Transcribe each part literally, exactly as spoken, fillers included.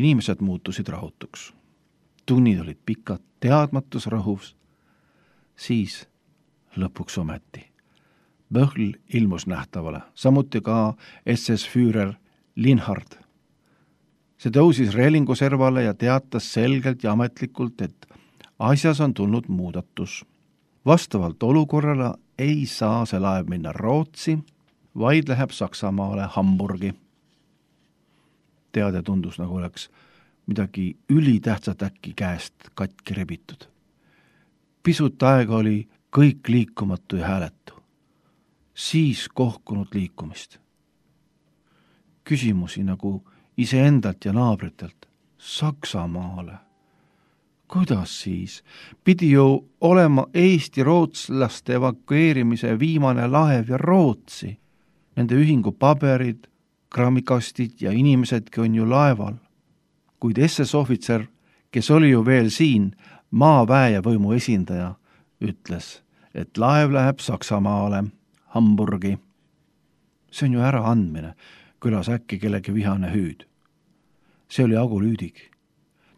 Inimesed muutusid rahutuks. Tunnid olid pikad, teadmatus rõhus. Siis lõpuks ometi. Böhl ilmus nähtavale, samuti ka S S-Führer Linhard. See tõusis reelingu servale ja teatas selgelt ja ametlikult, et asjas on tulnud muudatus. Vastavalt olukorrale ei saa see laev minna Rootsi, vaid läheb Saksamaale Hamburgi. Teade tundus, nagu oleks midagi ülitähtsat äkki käest katki rebitud. Pisut aega oli kõik liikumatu ja hääletu. Siis kohkunud liikumist. Küsimusi nagu iseendalt ja naabritelt. Saksamaale. Kuidas siis? Pidi ju olema Eesti rootslaste evakueerimise viimane laev ja Rootsi. Nende ühingu paberid, kraamikastid ja inimesedki on ju laeval. Kuid S S-ohvitser, kes oli ju veel siin, maaväe ja võimu esindaja, ütles, et laev läheb Saksamaale, Hamburgi. See on ju ära andmine, kõlas äkki kellegi vihane hüüd. See oli Agu Lüüdig.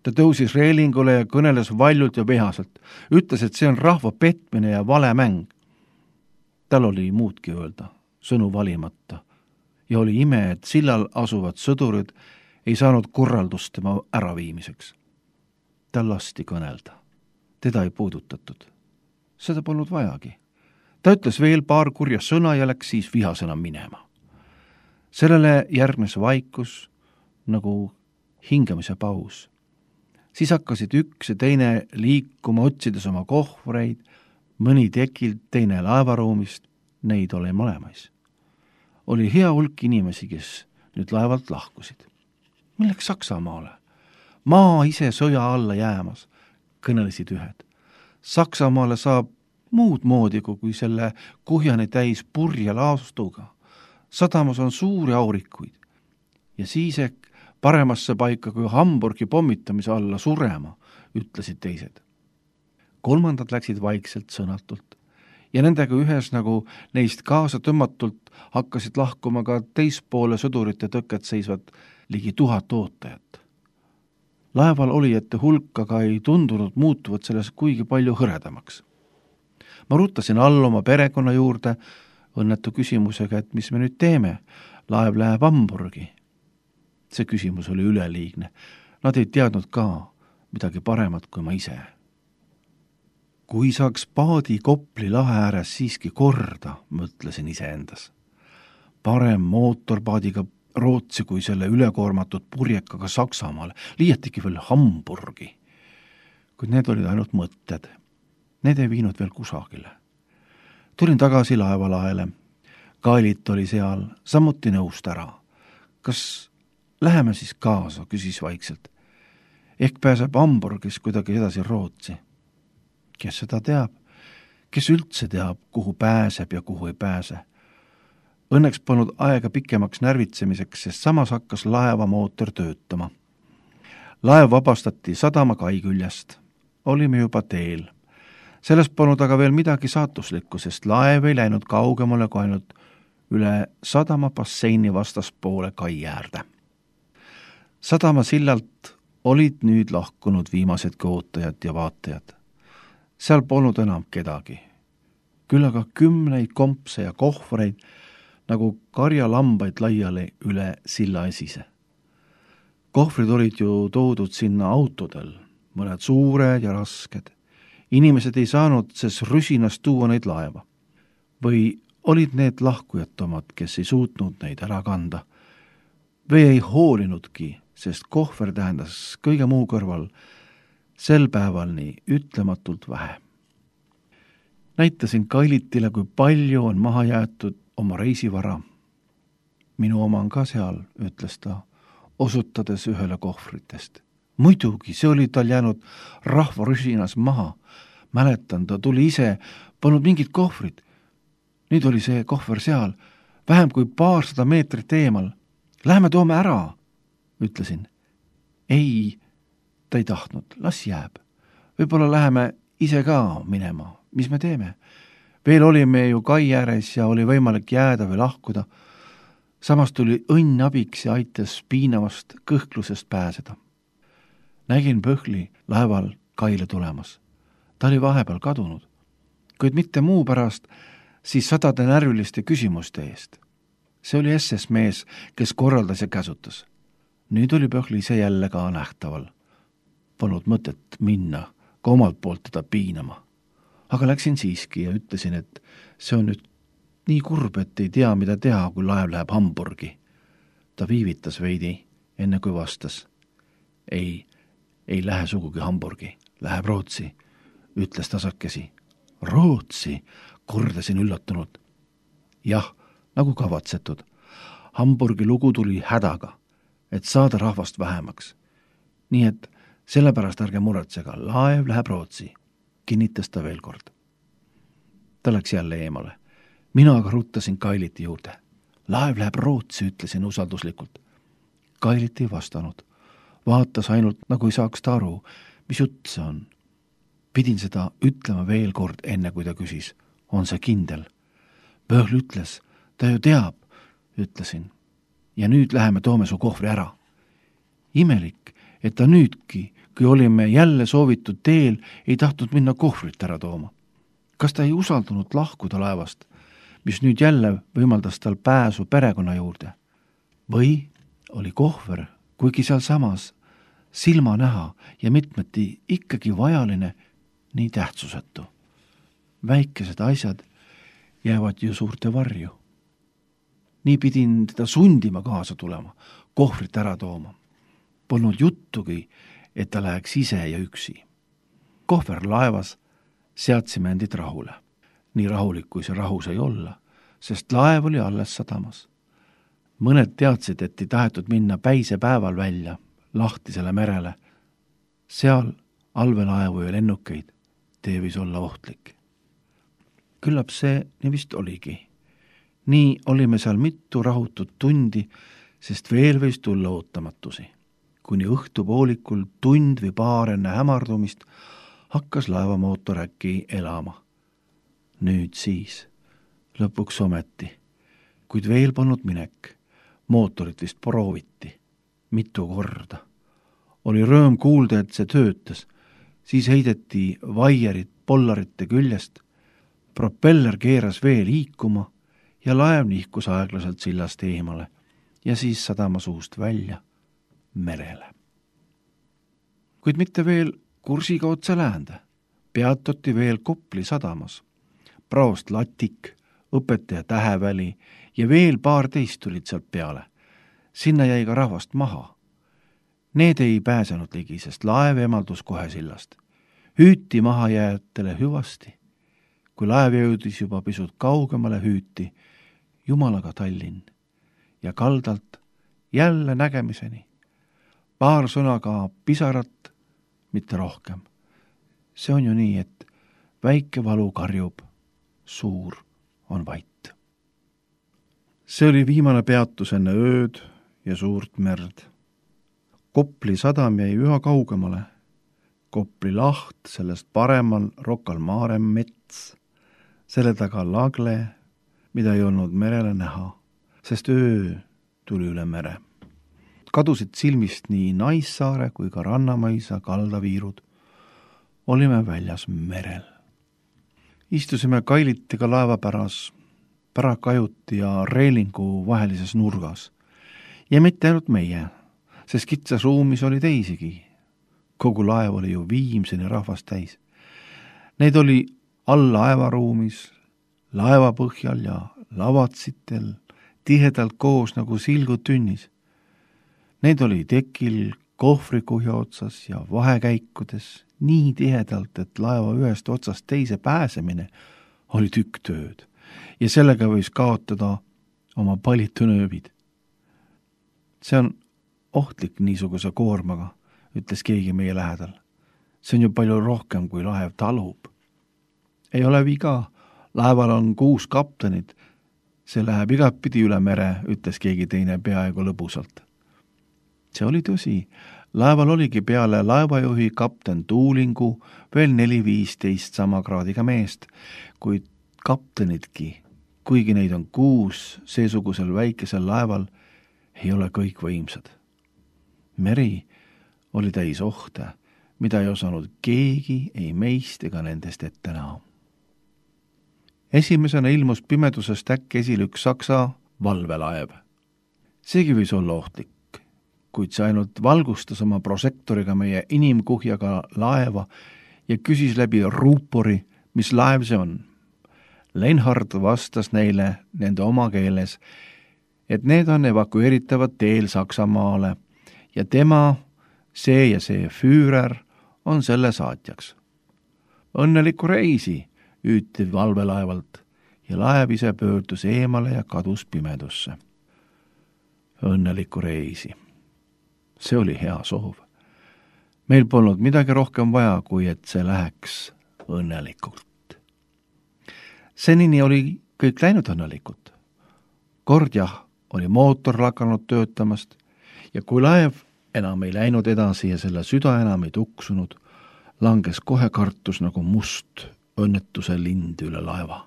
Ta tõusis reelingule ja kõneles valjult ja vihaselt. Ütles, et see on rahva petmine ja vale mäng. Tal oli muudki öelda, sõnu valimata. Ja oli ime, et sillal asuvad sõdurid ei saanud korraldust tema äraviimiseks. Ta lasti kõnelda. Teda ei puudutatud. Seda polnud vajagi. Ta ütles veel paar kurja sõna ja läks siis vihasõna minema. Sellele järgnes vaikus nagu hingamise paus. Siis hakkasid üks ja teine liikuma, otsides oma kohvreid, mõni tekilt, teine laevaruumist, neid oli mõlemais. Oli hea hulk inimesi, kes nüüd laevalt lahkusid. Milleks Saksamaale? Maa ise sõja alla jäämas, kõnelesid ühed. Saksamaale saab muud moodi kui selle kuhjani täis purja laastuga. Sadamas on suuri aurikuid ja siis ehk paremasse paika kui Hamburgi pommitamise alla surema, ütlesid teised. Kolmandad läksid vaikselt sõnatult ja nendega ühes nagu neist kaasa tõmmatult hakkasid lahkuma ka teispoole sõdurite tõket seisvad ligi tuhat ootajat. Laeval olijate hulk aga ei tundunud muutuvat selles kuigi palju hõredamaks. Ma ruttasin all oma perekonna juurde õnnetu küsimusega, et mis me nüüd teeme, laev läheb Hamburgi. See küsimus oli üleliigne. Nad ei teadnud ka midagi paremat kui ma ise. Kui saaks paadi Kopli lahe ääres siiski korda, mõtlesin iseendas. Parem mootorpaadiga Rootsi kui selle ülekoormatud purjekaga Saksamaale, liiatigi veel Hamburgi. Kuid need olid ainult mõtted. Need ei viinud veel kusagile. Tulin tagasi laevalaele. Kailit oli seal, samuti nõust ära. Kas läheme siis kaasa, küsis vaikselt. Ehk pääseb Hamburgis kuidagi edasi Rootsi. Kes seda teab? Kes üldse teab, kuhu pääseb ja kuhu ei pääse? Õnneks polnud aega pikemaks närvitsemiseks, sest samas hakkas laeva mootor töötama. Laev vabastati sadama kai küljest. Olime juba teel. Sellest polnud aga veel midagi saatuslikku, sest laev ei läinud kaugemale kui ainult üle sadama basseini vastaspoole kai äärde. Sadama sillalt olid nüüd lahkunud viimased ootajad ja vaatajad. Seal polnud enam kedagi. Küll aga kümneid kompse ja kohvreid, nagu karjalambaid laiali üle silla esise. Kohvrid olid ju toodud sinna autodel, mõned suured ja rasked. Inimesed ei saanud ses rüsinas tuua neid laeva. Või olid need lahkujad omad, kes ei suutnud neid ära kanda. Või ei hoolinudki, sest kohver tähendas kõige muu kõrval sel päeval nii ütlematult vähe. Näitasin Kailitile, kui palju on maha jäetud oma reisivara. Minu oma on ka seal, ütles ta, osutades ühele kohvritest. Muidugi, see oli tal jäänud rahvarüsinas maha. Mäletan, ta tuli ise, polnud mingid kohvrid. Nüüd oli see kohver seal, vähem kui paarsada meetrit eemal. Lähme toome ära, ütlesin. Ei, ta ei tahtnud, las jääb. Võib-olla läheme ise ka minema. Mis me teeme? Veel olime ju kai ääres ja oli võimalik jääda või lahkuda. Samas tuli õnn abiks ja aitas piinavast kõhklusest pääseda. nägin Pöhli laeval kaile tulemas. Ta oli vahepeal kadunud, kuid mitte muu pärast, siis sadade närviliste küsimuste eest. See oli S S mees, kes korraldas ja käsutas. Nüüd oli Pöhli ise jälle ka nähtaval. Polnud mõtet minna ka omalt poolt teda piinama. Aga läksin siiski ja ütlesin, et see on nüüd nii kurb, et ei tea, mida teha, kui laev läheb Hamburgi. Ta viivitas veidi, enne kui vastas. Ei, ei lähe sugugi Hamburgi, läheb Rootsi, ütles tasakesi. Rootsi, kordasin üllatunult. Jah, nagu kavatsetud. Hamburgi lugu tuli hädaga, et saada rahvast vähemaks. Nii et sellepärast ärge muretsega, laev läheb Rootsi, kinnitas ta veel kord. Ta läks jälle eemale. Mina aga ruttasin Kailiti juurde. Laev läheb Rootsi, ütlesin usalduslikult. Kailit ei vastanud. Vaatas ainult, nagu ei saaks ta aru, mis jutt see on. Pidin seda ütlema veel kord, enne kui ta küsis. On see kindel? Pöhl ütles, ta ju teab, ütlesin. Ja nüüd läheme toome su kohvri ära. Imelik, et ta nüüdki, kui olime jälle soovitud teel, ei tahtnud minna kohvrit ära tooma. Kas ta ei usaldunud lahkuda laevast, mis nüüd jälle võimaldas tal pääsu perekonna juurde? Või oli kohver, kuigi seal samas silma näha ja mitmeti ikkagi vajaline, nii tähtsusetu. Väikesed asjad jäävad ju suurte varju. Nii pidin teda sundima kaasa tulema, kohvrit ära tooma. Polnud juttugi, et ta läheks ise ja üksi. Kohver laevas seadsime endid rahule. Nii rahulik, kui see rahus ei olla, sest laev oli alles sadamas. Mõned teadsid, et ei tahetud minna päise päeval välja, lahtisele merele. Seal allveelaevu ja lennukeid tee võis olla ohtlik. Küllap see nii vist oligi. Nii olime seal mitu rahutut tundi, sest veel võis tulla ootamatusi. Kuni õhtupoolikul tund või paar enne hämardumist hakkas laevamootor äkki elama. Nüüd siis, lõpuks ometi, kuid veel polnud minek. Mootorit vist prooviti, mitu korda. Oli rõõm kuulda, et see töötas. Siis heideti vaierid pollarite küljest, propeller keeras veel liikuma ja laev nihkus aeglaselt sillast eemale ja siis sadama suust välja merele. Kuid mitte veel kursiga otse läände. Peatuti veel Kopli sadamas. Praost Latik, õpetaja Täheväli ja veel paar teist tulid sealt peale. Sinna jäi ka rahvast maha. Need ei pääsenud ligi, sest laev emaldus kohe sillast. Hüüti maha jääjatele hüvasti. Kui laev jõudis juba pisut kaugemale, hüüti Jumalaga Tallinn ja kaldalt jälle nägemiseni. Paar sõnaga pisarat, mitte rohkem. See on ju nii, et väike valu karjub, suur on vait. See oli viimane peatus enne ööd ja suurt merd. Kopli sadam jäi üha kaugemale. Kopli laht, sellest paremal Rocca al Mare mets, selle taga lagle, mida ei olnud merele näha, sest öö tuli üle mere. Kadusid silmist nii Naissaare kui ka Rannamaisa kaldaviirud. Olime väljas merel. Istusime Kailitiga laevapäras, Pärakajuti ja reelingu vahelises nurgas. Ja mitte ainult meie, sest kitsas ruumis oli teisigi. Kogu laev oli ju viimseni rahvast täis. Neid oli all laevaruumis, laeva põhjal ja lavatsitel, tihedalt koos nagu silgud tünnis. Neid oli tekil, kohvrikuhja otsas ja vahekäikudes nii tihedalt, et laeva ühest otsast teise pääsemine oli tükk tööd ja sellega võis kaotada oma palitünööbid. See on ohtlik niisuguse koormaga, ütles keegi meie lähedal. See on ju palju rohkem, kui laev talub. Ei ole viga, laeval on kuus kaptenit. See läheb igatpidi üle mere, ütles keegi teine peaaegu lõbusalt. See oli tõsi. Laeval oligi peale laevajuhi kapten Tuulingu veel neli viisteist sama kraadiga meest, kuid kaptenidki, kuigi neid on kuus seesugusel väikesel laeval, ei ole kõik võimsad. Meri oli täis ohte, mida ei osanud keegi ei meist ega nendest ette näha. Esimesena ilmus pimedusest äkki esile üks saksa valvelaev. Seegi võis olla ohtlik, kuid see ainult valgustas oma prosektoriga meie inimkuhjaga laeva ja küsis läbi ruupori, mis laev see on. Leinhard vastas neile nende oma keeles, et need on evakueeritavad teel Saksamaale ja tema, see ja see Führer, on selle saatjaks. Õnnelikku reisi, hüüti valvelaevalt ja laev ise pöördus eemale ja kadus pimedusse. Õnnelikku reisi. See oli hea soov. Meil polnud midagi rohkem vaja, kui et see läheks õnnelikult. Senini oli kõik läinud õnnelikult. Kord jah, oli mootor lakanud töötamast ja kui laev enam ei läinud edasi ja selle süda enam ei tuksunud, langes kohe kartus nagu must õnnetuse lind üle laeva.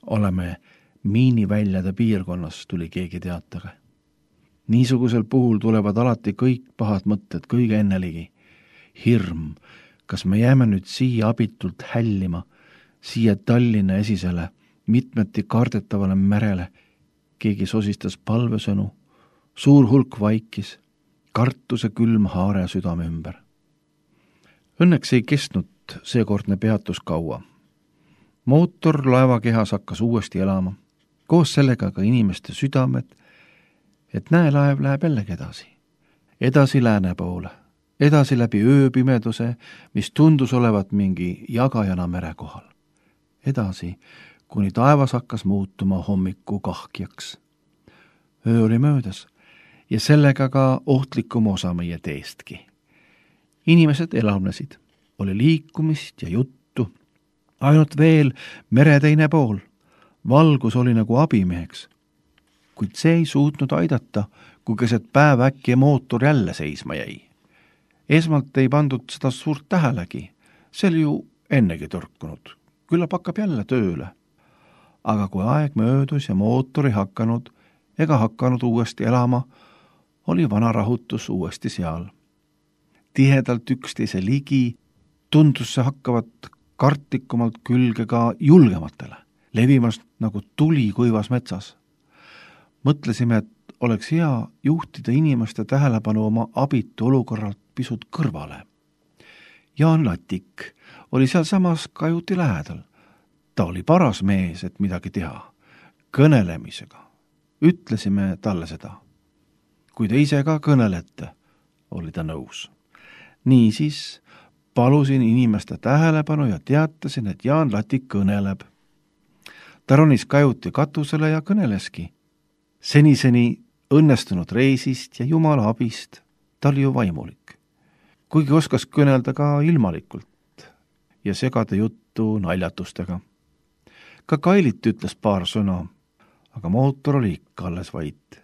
Oleme miiniväljade piirkonnas, tuli keegi teatage. Niisugusel puhul tulevad alati kõik pahad mõtted kõige enneligi. Hirm, kas me jääme nüüd siia abitult hällima, siia Tallinna esisele, mitmeti kardetavale merele. Keegi sosistas palvesõnu, suur hulk vaikis, kartuse külm haare südame ümber. Õnneks ei kestnud seekordne peatus kaua. Mootor laevakehas hakkas uuesti elama, koos sellega ka inimeste südamed, et näe, laev läheb jällegi edasi. Edasi lääne poole, edasi läbi ööpimeduse, mis tundus olevat mingi jagajana mere kohal. Edasi, kuni taevas hakkas muutuma hommiku kahkjaks. Öö oli möödas ja sellega ka ohtlikum osa meie teestki. Inimesed elavnesid, oli liikumist ja juttu, ainult veel mere teine pool. Valgus oli nagu abimeheks, kuid see ei suutnud aidata, kui keset päev äkki mootor jälle seisma jäi. Esmalt ei pandud seda suurt tähelegi, see oli ju ennegi tõrkunud, küllap hakkab jälle tööle. Aga kui aeg möödus ja mootor ei hakanud ega hakanud uuesti elama, oli vana rahutus uuesti seal. Tihedalt üksteise ligi tundus see hakkavat kartlikumalt külge ka julgematele, levimast nagu tuli kuivas metsas. Mõtlesime, et oleks hea juhtida inimeste tähelepanu oma abitu olukorralt pisut kõrvale. Jaan Latik oli seal samas kajuti lähedal. Ta oli paras mees, et midagi teha, kõnelemisega. Ütlesime talle seda. Kui te ise ka kõnelete, oli ta nõus. Niisiis palusin inimeste tähelepanu ja teatasin, et Jaan Latik kõneleb. Ta ronis kajuti katusele ja kõneleski. Seniseni õnnestunud reisist ja Jumala abist, ta oli ju vaimulik. Kuigi oskas kõnelda ka ilmalikult ja segada juttu naljatustega. Ka Kailit ütles paar sõna, aga mootor oli ikka alles vait.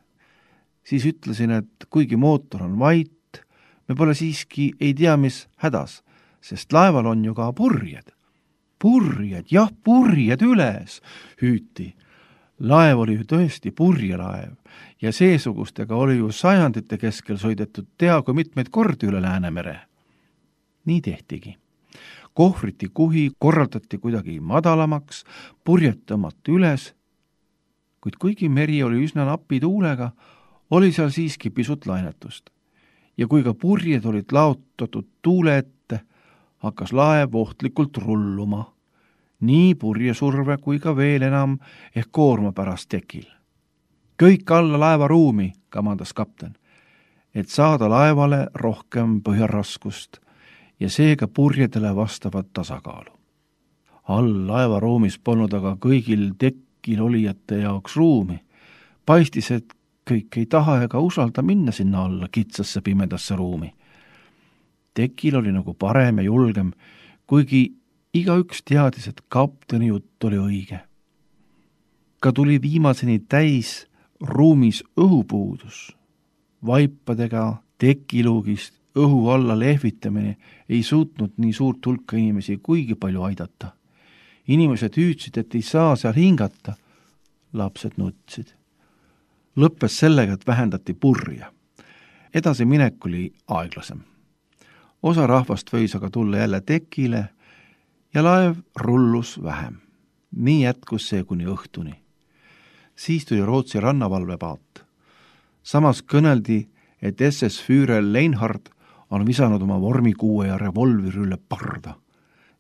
Siis ütlesin, et kuigi mootor on vait, me pole siiski ei tea, mis hädas, sest laeval on ju ka purjed. Purjed, jah, purjed üles, hüüti. Laev oli ju tõesti purjelaev ja seesugustega oli ju sajandite keskel sõidetud teagu mitmeid kordi üle Läänemere. Nii tehtigi. Kohvriti kuhi korraldati kuidagi madalamaks, purjed tõmmati üles, kuid kuigi meri oli üsna napi tuulega, oli seal siiski pisut lainetust. Ja kui ka purjed olid laotatud tuule ette, hakkas laev ohtlikult rulluma. Nii purjesurve kui ka veel enam ehk koorma pärast tekil. Kõik alla laeva ruumi, kamandas kapten, et saada laevale rohkem põhjaraskust ja seega purjedele vastavat tasakaalu. All laeva ruumis polnud aga kõigil tekil olijate jaoks ruumi. Paistis, et kõik ei taha ega usalda minna sinna alla kitsasse pimedasse ruumi. Tekil oli nagu parem ja julgem, kuigi igaüks teadis, et kapteni jutt oli õige. Ka tuli viimaseni täis ruumis õhupuudus. Vaipadega tekiluugist õhu alla lehvitamine ei suutnud nii suurt hulka inimesi kuigi palju aidata. Inimesed hüüdsid, et ei saa seal hingata. Lapsed nutsid. Lõppes sellega, et vähendati purja. edasi minek oli aeglasem. Osa rahvast võis aga tulla jälle tekile ja laev rullus vähem. Nii jätkus see kuni õhtuni. Siis tuli Rootsi rannavalvepaat. Samas kõneldi, et S S Führer Leinhard on visanud oma vormikuue ja revolvri üle parda.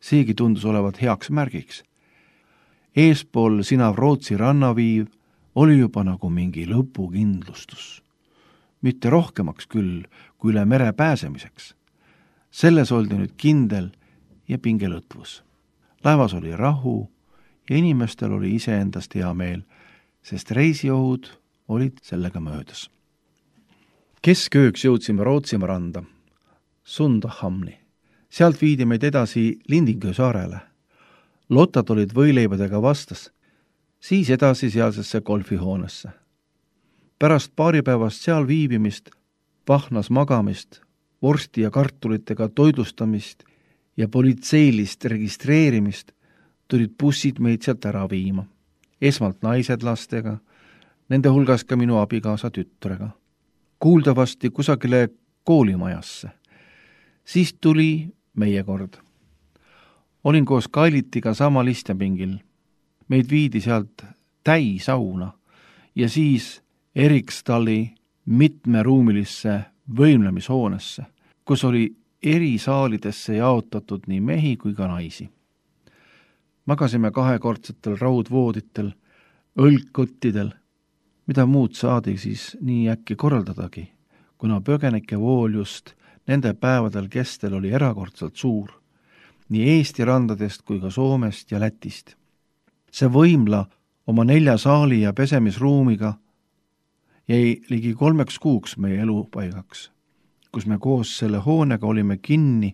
Seegi tundus olevat heaks märgiks. Eespool sinav Rootsi rannaviiv oli juba nagu mingi lõpukindlustus. Mitte rohkemaks küll, kui üle mere pääsemiseks. Selles oldi nüüd kindel ja pingelõtvus. Laevas oli rahu ja inimestel oli iseendast hea meel, sest reisiohud olid sellega möödas. Keskööks jõudsime Rootsimaa randa, Sundahamni. Sealt viidi meid edasi Lindingö saarele. Lotad olid võileibadega vastas, siis edasi sealsesse golfihoonesse. Pärast paaripäevast seal viibimist, pahnas magamist, vorsti ja kartulitega toidlustamist ja politseilist registreerimist tulid bussid meid sealt ära viima. Esmalt naised lastega, nende hulgas ka minu abikaasa tütrega. Kuuldavasti kusagile koolimajasse. Siis tuli meie kord. Olin koos Kailitiga samal istepingil. Meid viidi sealt täisauna ja siis Erikstalli mitmeruumilisse võimlemishoonesse, kus oli eri saalidesse jaotatud nii mehi kui ka naisi. Magasime kahekordsetel raudvooditel, õlgkottidel, mida muud saadi siis nii äkki korraldadagi, kuna põgenike vool just nende päevadel kestel oli erakordselt suur, nii Eesti randadest kui ka Soomest ja Lätist. See võimla oma nelja saali ja pesemisruumiga jäi ligi kolmeks kuuks meie elupaigaks, kus me koos selle hoonega olime kinni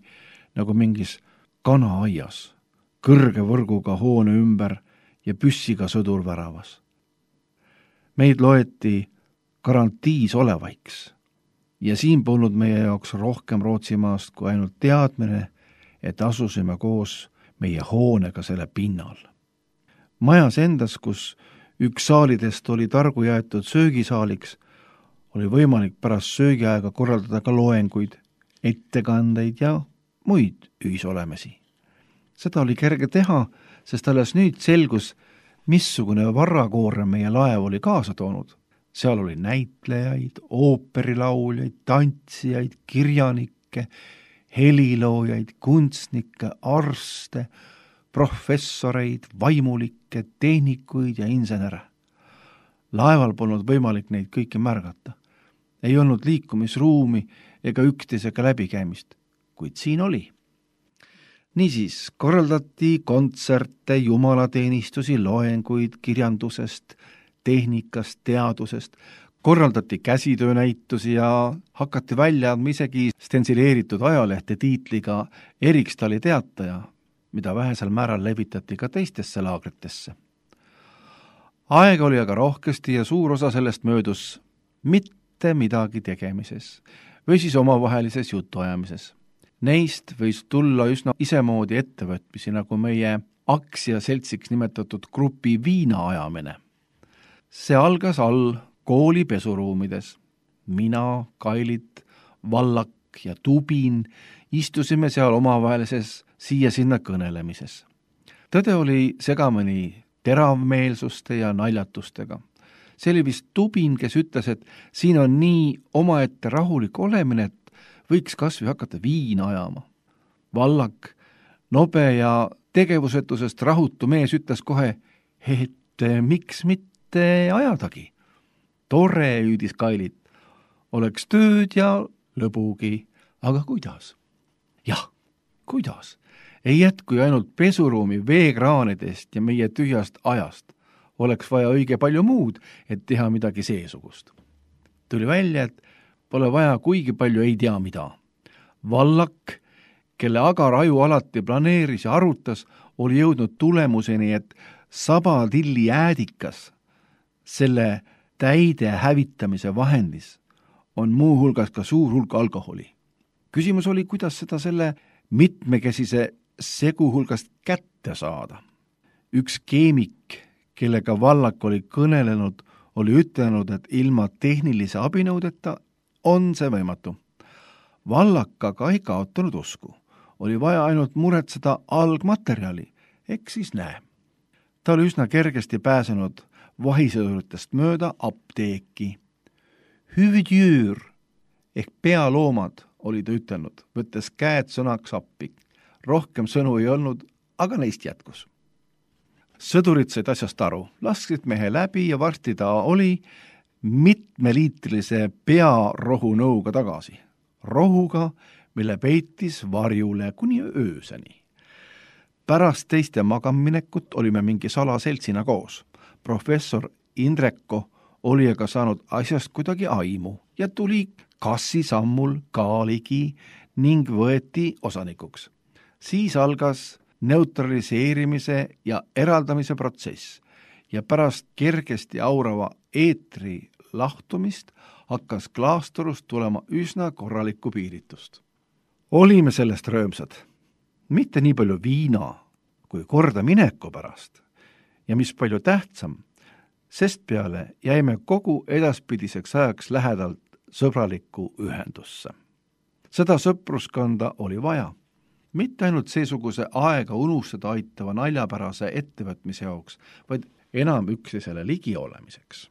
nagu mingis kanaaias, kõrge võrguga hoone ümber ja püssiga sõdur väravas. Meid loeti garantiis olevaiks ja siin polnud meie jaoks rohkem Rootsimaast kui ainult teadmine, et asusime koos meie hoonega selle pinnal. Majas endas, kus üks saalidest oli targu jäetud söögisaaliks, oli võimalik pärast söögiaega korraldada ka loenguid, ettekandeid ja muid ühisolemisi. Seda oli kerge teha, sest alles nüüd selgus, missugune varrakoorem meie laev oli kaasa toonud. Seal oli näitlejaid, ooperilauljaid, tantsijaid, kirjanikke, heliloojaid, kunstnikke, arste, professoreid, vaimulikke, tehnikuid ja insenere. Laeval polnud võimalik neid kõiki märgata. Ei olnud liikumisruumi ega üksteisega läbikäimist, kuid siin oli. Niisiis korraldati kontserte, jumalateenistusi, loenguid kirjandusest, tehnikast, teadusest, korraldati käsitöönäitusi ja hakati välja andma isegi stensileeritud ajalehte tiitliga Erikstalli teataja, mida vähesel määral levitati ka teistesse laagritesse. Aega oli aga rohkesti ja suur osa sellest möödus mitte midagi tegemises või siis omavahelises jutuajamises. Neist võis tulla üsna isemoodi ettevõtmisi, nagu meie aktsiaseltsiks nimetatud grupi viinaajamine. See algas all kooli pesuruumides. Mina, Kailit, Vallak ja Tubin istusime seal omavahelises siia-sinna kõnelemises. Tõde oli segamini teravmeelsuste ja naljatustega. See oli vist Tubin, kes ütles, et siin on nii omaette rahulik olemine, et võiks kasvõi hakata viina ajama. Vallak, nobe ja tegevusetusest rahutu mees ütles kohe, et miks mitte ajadagi. Tore, hüüdis Kailit, oleks tööd ja lõbugi, aga kuidas? Jah, kuidas? Ei jätku ainult pesuruumi veekraanidest ja meie tühjast ajast. Oleks vaja õige palju muud, et teha midagi seesugust. Tuli välja, et pole vaja kuigi palju ei tea mida. Vallak, kelle agar aju alati planeeris ja arutas, oli jõudnud tulemuseni, et sabatilli äädikas selle täide hävitamise vahendis on muu hulgas ka suur hulk alkoholi. Küsimus oli, kuidas seda selle mitmekesise segu hulgast kätte saada. Üks keemik, kellega Vallak oli kõnelenud, oli ütelnud, et ilma tehnilise abinõudeta on see võimatu. Vallakaga ei kaotanud usku. Oli vaja ainult muretseda algmaterjali, eks siis näe. Ta oli üsna kergesti pääsenud vahisõduritest mööda apteeki. Hüvidjüür ehk pealoomad oli ta ütelnud, võttes käed sõnaks appi. Rohkem sõnu ei olnud, aga neist jätkus. Sõdurid said asjast aru, lasksid mehe läbi ja varsti ta oli mitmeliitrilise pearohunõuga tagasi. Rohuga, mille peitis varjule kuni ööseni. Pärast teiste magaminekut olime mingi salaseltsina koos. Professor Indreko oli aga saanud asjast kuidagi aimu ja tuli kassi sammul ka ligi ning võeti osanikuks. Siis algas neutraliseerimise ja eraldamise protsess ja pärast kergesti aurava eetri lahtumist hakkas klaasturust tulema üsna korralikku piiritust. Olime sellest röömsad, mitte nii palju viina kui korda mineku pärast ja mis palju tähtsam, sest peale jäime kogu edaspidiseks ajaks lähedalt sõbralikku ühendusse. Seda sõpruskonda oli vaja, mitte ainult seesuguse aega unustada aitava naljapärase ettevõtmise jaoks, vaid enam üksteisele ligi olemiseks.